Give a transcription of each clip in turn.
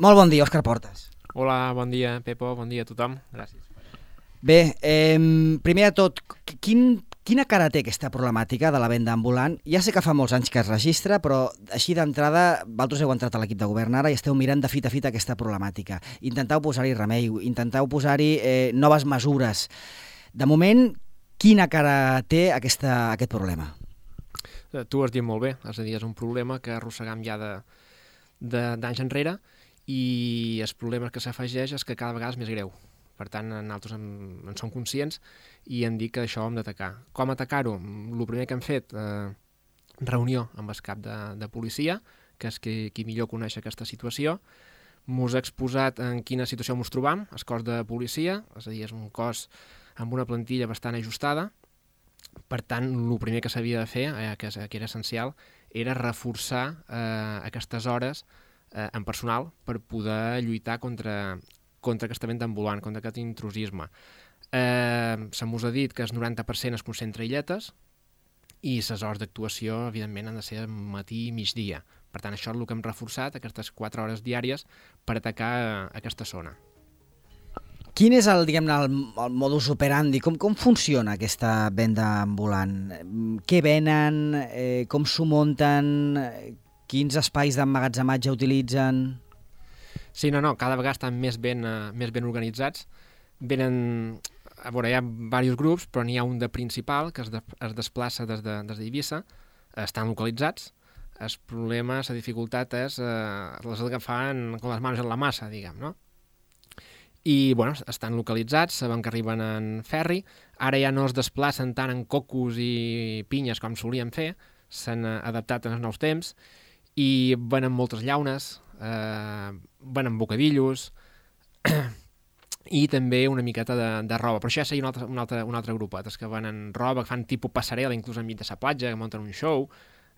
Molt bon dia, Òscar Portes. Hola, bon dia, Pepo, bon dia a tothom. Gràcies. Bé, primer de tot, quina cara té aquesta problemàtica de la venda ambulant? Ja sé que fa molts anys que es registra, però així d'entrada, vosaltres heu entrat a l'equip de govern ara i esteu mirant de fit a fit aquesta problemàtica. Intentau posar-hi remei, intentau posar-hi noves mesures. De moment, quina cara té aquest problema? Tu ho has dit molt bé, és a dir, és un problema que arrossegam ja d'anys enrere i el problema que s'afegeix és que cada vegada és més greu. Per tant, nosaltres en som conscients i hem dit que això ho hem d'atacar. Com atacar-ho? El primer que hem fet, reunió amb el cap de policia, que és qui millor coneix aquesta situació. Mos ha exposat en quina situació ens trobam, el cos de policia, és a dir, és un cos amb una plantilla bastant ajustada. Per tant, el primer que s'havia de fer, que era essencial, era reforçar aquestes hores en personal per poder lluitar contra aquesta venda ambulant, contra aquest intrusisme. Se mos ha dit que el 90% es concentra a illetes i les hores d'actuació, evidentment, han de ser matí i migdia. Per tant, això és el que hem reforçat, aquestes 4 hores diàries, per atacar aquesta zona. Quin és el modus operandi? Com funciona aquesta venda ambulant? Què venen? Com s'ho munten? Quins espais d'emmagatzematge utilitzen? Sí, no, cada vegada estan més ben organitzats. Venen, a veure, hi ha diversos grups, però n'hi ha un de principal que es desplaça des d'Eivissa, estan localitzats. El problema, la dificultat és les agafant amb les mans en la massa, diguem, no? I, bueno, estan localitzats, saben que arriben en ferri, ara ja no es desplacen tant en cocos i pinyes com solien fer, s'han adaptat als nous temps i venen moltes llaunes, venen bocadillos i també una miqueta de roba, però això ja seria un altre grupet, és que venen roba, que fan tipus passarel·la, inclús enmig de la platja, que munten un show,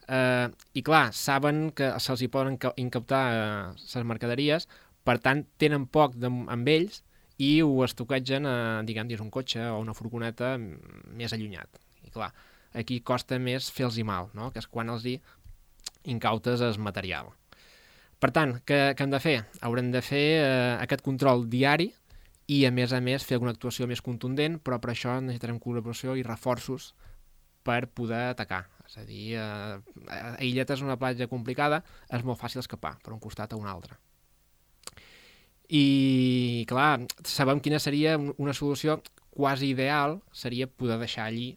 i clar, saben que se'ls hi poden incautar les mercaderies, per tant tenen poc amb ells i ho estoquegen diguem, dins un cotxe o una furgoneta més allunyat. I clar, aquí costa més fer-los mal, no? Que és quan els hi incautes el material. Per tant, què hem de fer? Haurem de fer aquest control diari i, a més, fer alguna actuació més contundent, però per això necessitarem col·laboració i reforços per poder atacar. És a dir, a Illeta és una platja complicada, és molt fàcil escapar per un costat a un altre. I, clar, sabem quina seria una solució quasi ideal, seria poder deixar allí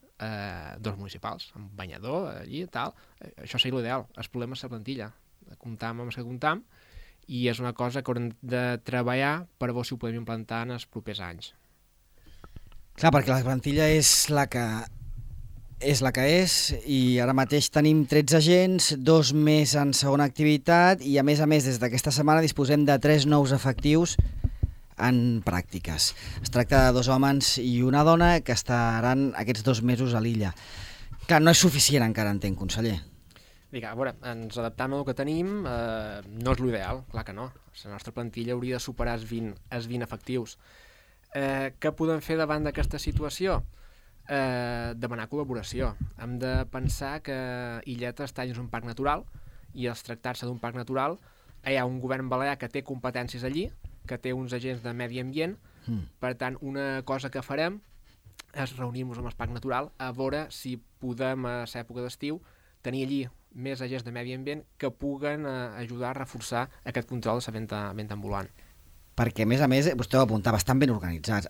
dos municipals, un banyador, allí i tal. Això seria l'ideal. El problema és la plantilla. Comptam amb el que comptam i és una cosa que haurem de treballar per veure si ho podem implantar en els propers anys. Clar, perquè la plantilla és la que és i ara mateix tenim 13 agents, 2 més en segona activitat i a més des d'aquesta setmana disposem de 3 nous efectius en pràctiques. Es tracta de 2 homes i una dona que estaran aquests 2 mesos a l'illa. Clar, no és suficient encara, entenc, conseller. A veure, ens adaptam al que tenim, no és l'ideal, clar que no. La nostra plantilla hauria de superar els 20 efectius. Què podem fer davant d'aquesta situació? Demanar col·laboració. Hem de pensar que Illeta està dins un parc natural i als tractar-se d'un parc natural hi ha un govern balear que té competències allí, que té uns agents de medi ambient. Per tant, una cosa que farem és reunir-nos amb el parc natural a veure si podem, a l'època d'estiu, tenir allí més agents de medi ambient que puguen ajudar a reforçar aquest control de la venda ambulant. Perquè, a més, vostè ho apuntava, estan ben organitzats.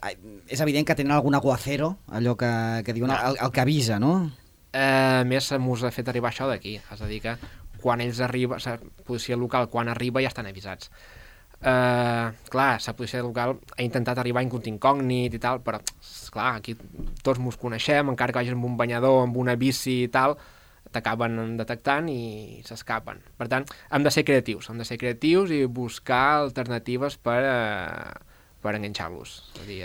És evident que tenen algun aguacero, allò que diuen, el que avisa, no? A més, mos ha fet arribar això d'aquí. És a dir, que quan ells arriben, la policia local, quan arriba, ja estan avisats. Clar, la policia local ha intentat arribar en incògnit i tal, però, clar, aquí tots mos coneixem, encara que vagis amb un banyador, amb una bici i tal, t'acaben detectant i s'escapen. Per tant, hem de ser creatius i buscar alternatives per enganxar-los. És a dir,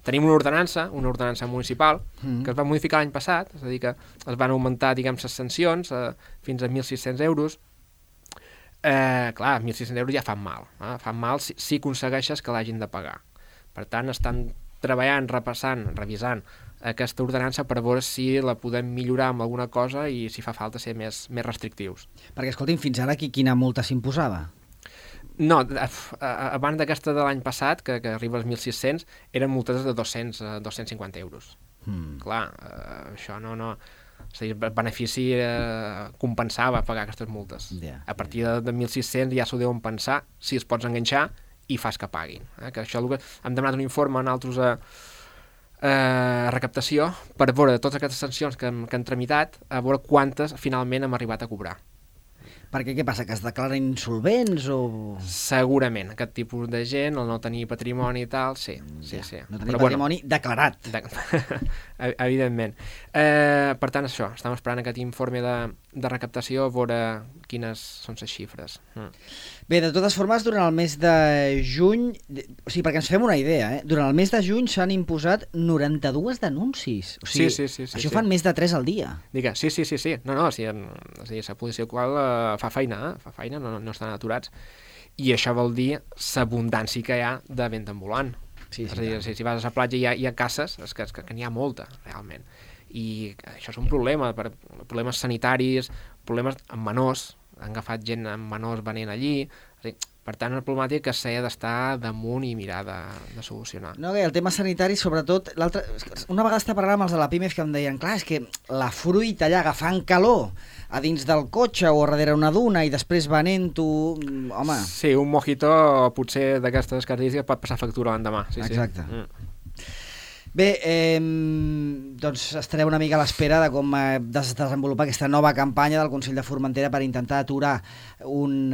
tenim una ordenança municipal que es va modificar l'any passat, és a dir, que es van augmentar, diguem, les sancions fins a 1.600 euros. Clar, 1.600 euros ja fan mal. Fan mal si aconsegueixes que l'hagin de pagar. Per tant, estan treballant, revisant aquesta ordenança per veure si la podem millorar amb alguna cosa i si fa falta ser més restrictius. Perquè, escolti'm, fins ara quina multa s'imposava? No, abans d'aquesta de l'any passat, que arriba als 1.600, eren multes de 250 euros. Clar, això no... O sigui, el benefici compensava pagar aquestes multes. A partir de 1.600 ja s'ho deuen pensar si es pots enganxar i fas que paguin. Que això hem demanat un informe en altres recaptació per veure totes aquestes sancions que han tramitat, a veure quantes finalment hem arribat a cobrar. Perquè què passa, que es declaren insolvents o...? Segurament, aquest tipus de gent, el no tenir patrimoni i tal, sí. No tenir patrimoni declarat. Evidentment. Per tant, això, estem esperant aquest informe de recaptació a veure quines són les xifres. Bé, de totes formes, durant el mes de juny, o sigui, perquè ens fem una idea, durant el mes de juny s'han imposat 92 denúncies. O sigui, sí, això fan més de 3 al dia. Digue, sí. No, la policia local fa feina, no estan aturats. I això vol dir l'abundància que hi ha de venda ambulant. Sí, és a dir, si vas a la platja hi ha cases, és que n'hi ha molta, realment. I això és un problema, problemes sanitaris, problemes amb menors, han agafat gent amb menors venent allí, per tant, una problemàtica que s'ha d'estar damunt i mirar de solucionar. No, el tema sanitari, sobretot, una vegada estava parlant amb els de la PIMEF que em deien, clar, és que la fruita allà agafant calor a dins del cotxe o darrere una duna i després venent-ho, home... Sí, un mojito potser d'aquestes característiques pot passar factura l'endemà. Sí, exacte. Bé, doncs estarem una mica a l'espera de com desenvolupar aquesta nova campanya del Consell de Formentera per intentar aturar un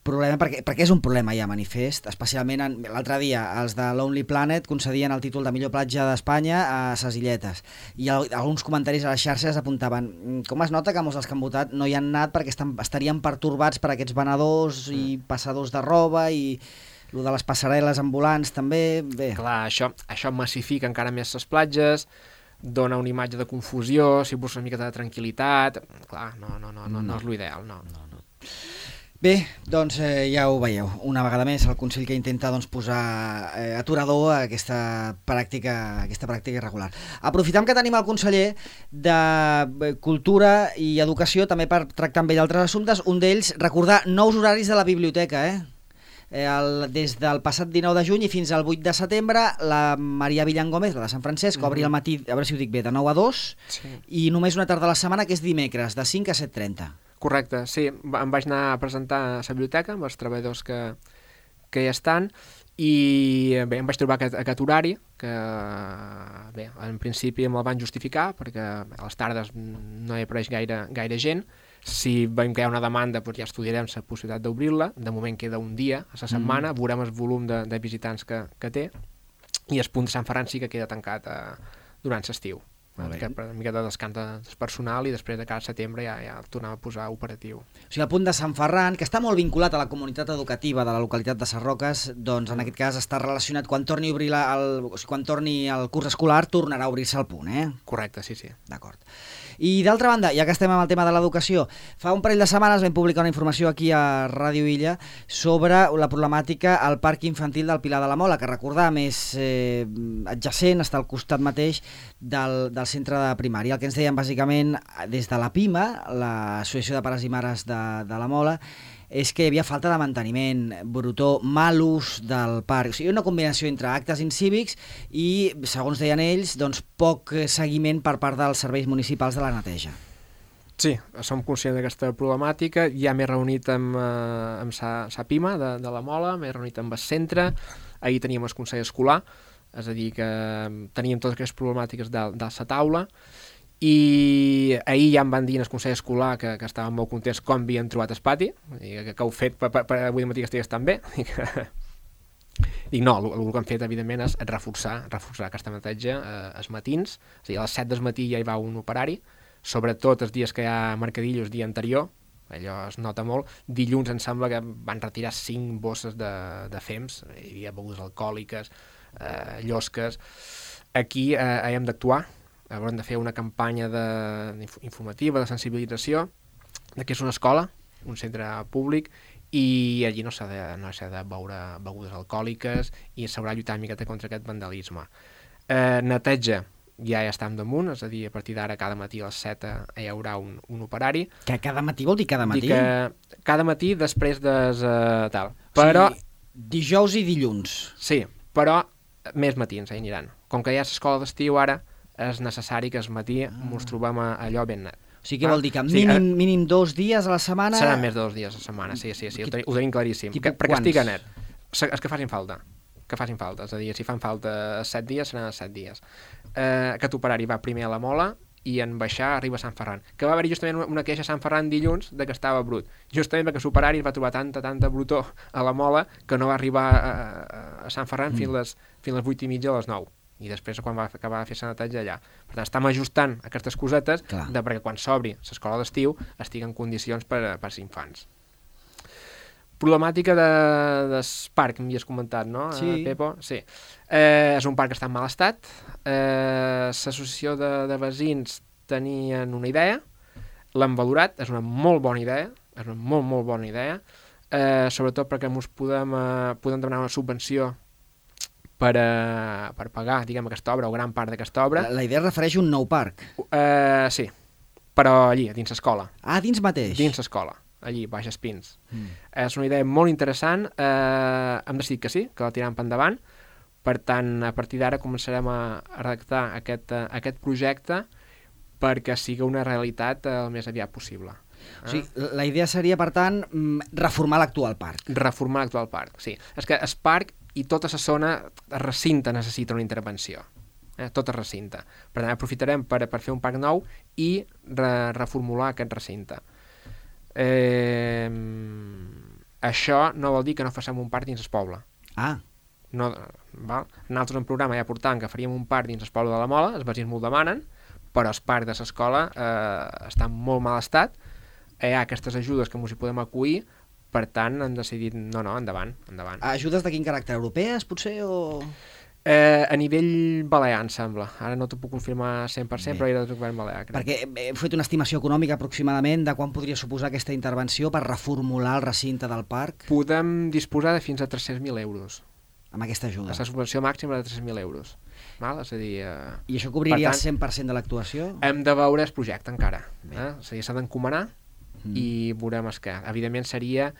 problema, perquè és un problema ja manifest, especialment l'altre dia els de Lonely Planet concedien el títol de millor platja d'Espanya a ses Illetes i alguns comentaris a les xarxes apuntaven com es nota que molts dels que han votat no hi han anat perquè estarien pertorbats per aquests venedors i passadors de roba i el de les passarel·les ambulants també, bé. Clar, això massifica encara més les platges, dona una imatge de confusió, si busques una miqueta de tranquil·litat, clar, no és l'ideal, no. Bé, doncs ja ho veieu, una vegada més el Consell que intenta posar aturador a aquesta pràctica irregular. Aprofitem que tenim el conseller de Cultura i Educació també per tractar amb ell altres assumptes, un d'ells, recordar nous horaris de la biblioteca, des del passat 19 de juny i fins al 8 de setembre la Maria Villan Gómez, la de Sant Francesc, obri al matí, a veure si ho dic bé, de 9 a 2 i només una tarda a la setmana que és dimecres, de 5 a 7:30. Correcte, sí, em vaig anar a presentar a la biblioteca amb els treballadors que hi estan i bé, em vaig trobar aquest horari que bé, en principi me'l van justificar perquè a les tardes no hi apareix gaire gent. Si veiem que hi ha una demanda, doncs ja estudiarem la possibilitat d'obrir-la. De moment queda un dia a la setmana, veurem el volum de visitants que té i el punt de Sant Ferran sí que queda tancat durant l'estiu. Una mica de descans del personal i després de cada setembre ja el tornem a posar operatiu. O sigui, el punt de Sant Ferran, que està molt vinculat a la comunitat educativa de la localitat de Sarroques, doncs en aquest cas està relacionat quan torni a obrir quan torni el curs escolar, tornarà a obrir-se el punt, Correcte, sí. D'acord. I d'altra banda, ja que estem amb el tema de l'educació, fa un parell de setmanes vam publicar una informació aquí a Ràdio Illa sobre la problemàtica al Parc Infantil del Pilar de la Mola, que recordar més adjacent, està al costat mateix del centre de primària. El que ens deien bàsicament des de la PIMA, l'Associació de Pares i Mares de la Mola, és que hi havia falta de manteniment, brutó, mal ús del parc. O sigui, una combinació entre actes incívics i, segons deien ells, doncs, poc seguiment per part dels serveis municipals de la neteja. Sí, som conscients d'aquesta problemàtica. Ja m'he reunit amb sa PIMA de la Mola, m'he reunit amb el centre, ahir teníem el Consell Escolar, és a dir, que teníem totes aquestes problemàtiques dalt la taula, i ahir ja em van dir en el Consell Escolar que estaven molt contents com havien trobat el pati, que heu fet per avui matí que estigués tan bé. Dic, no, el que hem fet, evidentment, és reforçar aquesta neteja els matins, és a dir, a les 7 del matí ja hi va un operari, sobretot els dies que hi ha mercadillos el dia anterior, allò es nota molt. Dilluns em sembla que van retirar 5 bosses de fems, hi havia begudes alcohòliques, llosques. Aquí hem d'actuar, haurem de fer una campanya informativa, de sensibilització, que és una escola, un centre públic, i allí no s'ha de beure begudes alcohòliques i s'haurà de lluitar una miqueta contra aquest vandalisme. Neteja, ja estem damunt, és a dir, a partir d'ara cada matí a les 7 hi haurà un operari. Que cada matí vol dir cada matí? Dic que cada matí després de tal. Però, o sigui, dijous i dilluns. Sí, però més matins hi aniran. Com que hi ha l'escola d'estiu ara, és necessari que al matí ens trobem allò ben net. O sigui, què vol dir? Que mínim 2 dies a la setmana... Seran més de 2 dies a la setmana, sí, ho tenim claríssim. Perquè estigui net. És que facin falta. És a dir, si fan falta 7 dies, seran 7 dies. Aquest operari va primer a la Mola i en baixar arriba a Sant Ferran. Que va haver-hi justament una queixa a Sant Ferran dilluns de que estava brut. Justament perquè l'operari va trobar tanta brutó a la Mola que no va arribar a Sant Ferran fins les 8:30 a les 9. I després quan va acabar de fer sanitatge allà. Per tant, estem ajustant aquestes cosetes perquè quan s'obri l'escola d'estiu estigui en condicions per als infants. Problemàtica del parc, m'havies comentat, no, sí. Pepo? Sí. És un parc que està en mal estat. L'associació de veïns tenien una idea, l'han valorat, és una molt bona idea, molt bona idea, sobretot perquè ens podem demanar una subvenció per pagar, diguem, aquesta obra o gran part d'aquesta obra. La idea es refereix a un nou parc? Sí, però allí, dins l'escola. Ah, dins mateix? Dins l'escola, allí, baix Espins. És una idea molt interessant, hem decidit que sí, que la tirem per endavant, per tant, a partir d'ara començarem a redactar aquest projecte perquè sigui una realitat el més aviat possible. O sigui, la idea seria, per tant, reformar l'actual parc. Reformar l'actual parc, sí. És que el parc i tota la zona, el recinte necessita una intervenció. Tot el recinte. Per tant, aprofitarem per fer un parc nou i reformular aquest recinte. Això no vol dir que no facem un parc dins el poble. No, val? Nosaltres en programa ja portàvem que faríem un parc dins el poble de la Mola, els veïns m'ho demanen, però el parc de l'escola està en molt mal estat, hi ha aquestes ajudes que ens hi podem acollir, per tant hem decidit, no, endavant. Ajudes de quin caràcter? Europees, potser, o...? A nivell balear, em sembla. Ara no t'ho puc confirmar 100%, però era del govern balear. Crec. Perquè heu fet una estimació econòmica aproximadament de quan podria suposar aquesta intervenció per reformular el recinte del parc? Podem disposar de fins a 300.000 euros. Amb aquesta ajuda? La subvenció màxima de 300.000 euros. Val? És a dir, I això cobriria el 100% de l'actuació? Hem de veure el projecte encara. És a dir, s'ha d'encomanar i veurem el que. Evidentment seria...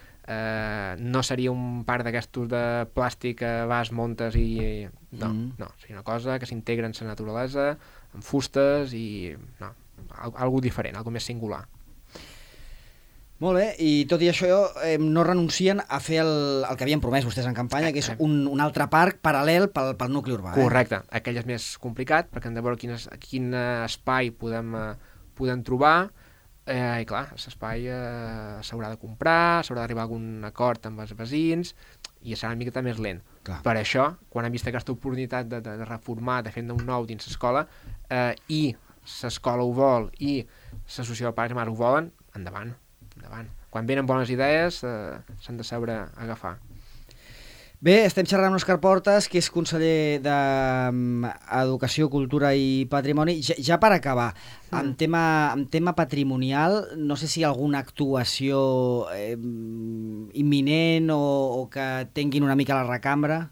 no seria un parc d'aquestos de plàstic que vas, montes i... No, seria una cosa que s'integra en la naturalesa, amb fustes i... No, algo diferent, algo més singular. Molt bé, i tot i això no renuncien a fer el que havien promès vostès en campanya, que és un altre parc paral·lel pel nucli urbà. Correcte, aquell és més complicat perquè hem de veure quin espai podem trobar. I clar, l'espai s'haurà de comprar, s'haurà d'arribar a algun acord amb els veïns i serà una miqueta més lent. Clar. Per això, quan hem vist aquesta oportunitat de reformar, de fer un nou dins l'escola, i l'escola ho vol i l'associació de pares i mares ho volen, endavant. Quan venen bones idees s'han de saber agafar. Bé, estem xerrant amb Òscar Portas, que és conseller d'Educació, Cultura i Patrimoni. Ja per acabar, en tema patrimonial, no sé si hi ha alguna actuació imminent o que tinguin una mica la recambra?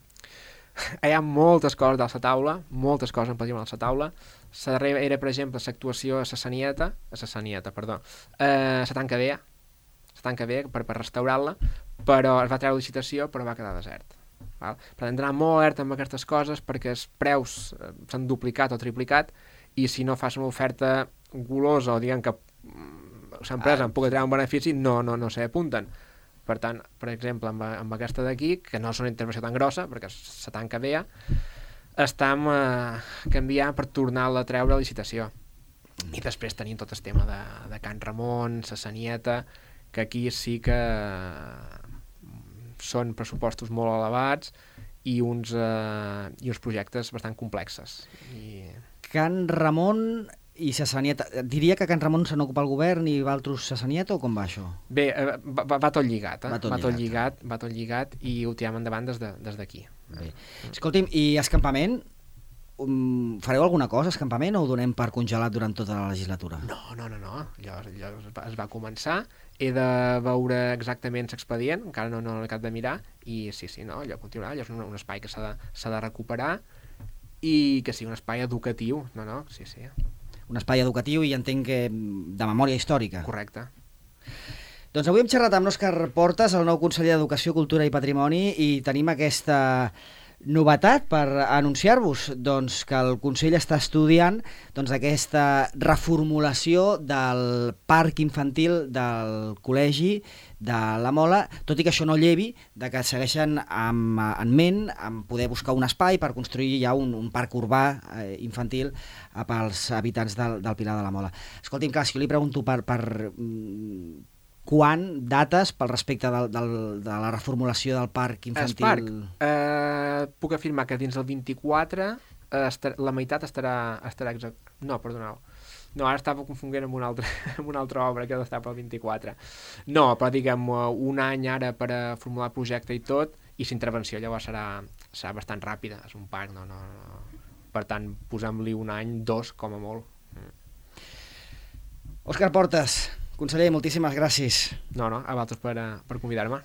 Hi ha moltes coses a la taula, moltes coses en patrimoni a la taula. La darrera era, per exemple, l'actuació a la Sanieta, la tanca vella per restaurar-la, però es va treure licitació però va quedar desert. Val? Per tant, d'anar molt alerta amb aquestes coses perquè els preus s'han duplicat o triplicat i si no fas una oferta golosa o diguem que l'empresa en pugui treure un benefici, no s'hi apunten. Per tant, per exemple, amb aquesta d'aquí, que no és una intervenció tan grossa perquè la tanca vella, estem canviant per tornar-la a treure a licitació. I després tenim tot el tema de Can Ramon, la Sanieta, que aquí sí que són pressupostos molt elevats i uns projectes bastant complexes. Can Ramon i la Sanieta, diria que Can Ramon se n'ocupa el govern i Valtros la Sanieta o com va això? Bé, va tot lligat, va tot lligat i ho tirem endavant des d'aquí. Escolti'm, i escampament? Fareu alguna cosa, escampament, o ho donem per congelat durant tota la legislatura? No. Allò es va començar, he de veure exactament l'expedient, encara no l'he acabat de mirar, i sí, allò continuarà, allò és un espai que s'ha de recuperar, i que sigui un espai educatiu. No, sí. Un espai educatiu i entenc que de memòria històrica. Correcte. Doncs avui hem xerrat amb l'Òscar Portes, el nou conseller d'Educació, Cultura i Patrimoni, i tenim aquesta novetat per anunciar-vos, doncs, que el Consell està estudiant aquesta reformulació del parc infantil del col·legi de la Mola, tot i que això no llevi de que segueixen en ment en poder buscar un espai per construir ja un parc urbà infantil pels habitants del Pilar de la Mola. Escolti'm, clar, si jo li pregunto per quan, dates pel respecte de la reformulació del parc infantil? Puc afirmar que dins del 24 la meitat estarà exact. No, perdoneu. No, ara estava confonent amb una altra obra que ha d'estar pel 24. No, però diguem un any ara per a formular el projecte i tot, i l'intervenció llavors serà bastant ràpida. És un parc, no. Per tant, posem-li un any, 2 com a molt. Òscar Portes, conseller, moltíssimes gràcies. No, a vosaltres per convidar-me.